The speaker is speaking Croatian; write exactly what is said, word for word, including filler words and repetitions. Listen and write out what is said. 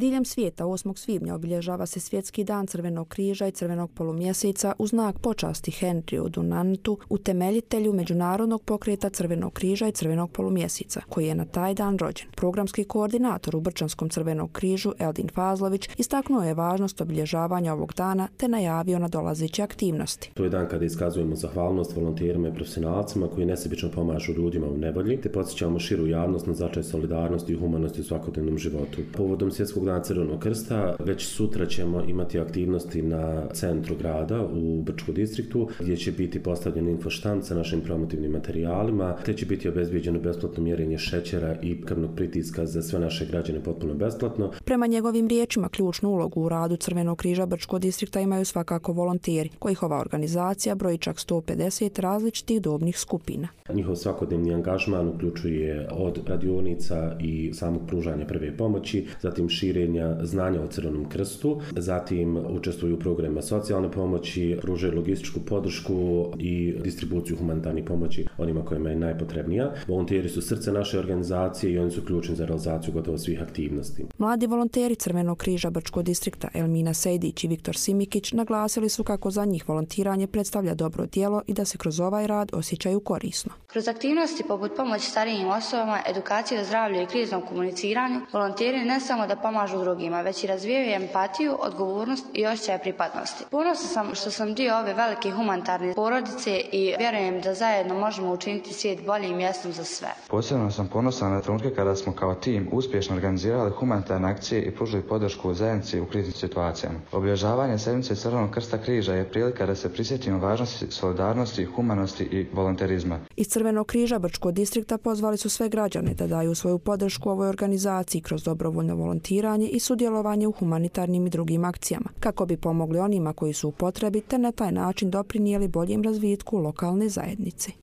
Diljem svijeta osmog svibnja obilježava se Svjetski dan Crvenog križa i Crvenog polumjeseca u znak počasti Henriju Dunantu, utemeljitelju Međunarodnog pokreta Crvenog križa i Crvenog polumjeseca, koji je na taj dan rođen. Programski koordinator u Brčanskom Crvenog križu Eldin Fazlović istaknuo je važnost obilježavanja ovog dana te najavio nadolazeće aktivnosti. To je dan kada iskazujemo zahvalnost volonterima i profesionalcima koji nesebično pomažu ljudima u nevolji te podsjećamo širu javnost na značaj solidarnosti i humanosti u svakodnevnom životu. Povodom Svjetskog dana Crvenog krsta već sutra ćemo imati aktivnosti na centru grada u Brčkom distriktu gdje će biti postavljen infoštand sa našim promotivnim materijalima te će biti obezbijeđeno besplatno mjerenje šećera i krvnog pritiska za sve naše građane potpuno besplatno. Prema njegovim riječima ključnu ulogu u radu Crvenog križa Brčkog distrikta imaju svakako volonteri, kojih ova organizacija broji čak sto pedeset različitih dobnih skupina. Njihov svakodnevni angažman uključuje od radionica i samog pružanja prve pomoći, zatim širenja znanja o Crvenom krstu, zatim učestvuju u programima socijalne pomoći, pružaju logističku podršku i distribuciju humanitarnih pomoći onima kojima je najpotrebnija. Volonteri su srce naše organizacije i oni su ključni za realizaciju gotovo svih aktivnosti. Mladi volonteri Crvenog križa Brčkog distrikta Elmina Sejdić i Viktor Simikić naglasili su kako za njih volontiranje predstavlja dobro djelo i da se kroz ovaj rad osjećaju korisno. Kroz aktivnosti poput pomoći starijim osobama, edukacije o zdravlju i kriznom komuniciranju, volonteri ne samo da pomažu drugima, već i razvijaju empatiju, odgovornost i osjećaj pripadnosti. Ponosna sam što sam dio ove velike humanitarne porodice i vjerujem da zajedno možemo učiniti svijet boljim mjestom za sve. Posebno sam ponosan na trenutke kada smo kao tim uspješno organizirali humanitarne akcije i pružili podršku u zajednici u kriznim situacijama. Obilježavanje sedmice Crvenog krsta križa je prilika da se prisjetimo važnosti solidarnosti, humanosti i volonterizma. Iz Crvenog križa Brčkog distrikta pozvali su sve građane da daju svoju podršku ovoj organizaciji kroz dobrovoljno volontiranje i sudjelovanje u humanitarnim i drugim akcijama, kako bi pomogli onima koji su u potrebi te na taj način doprinijeli boljem razvitku lokalne zajednice.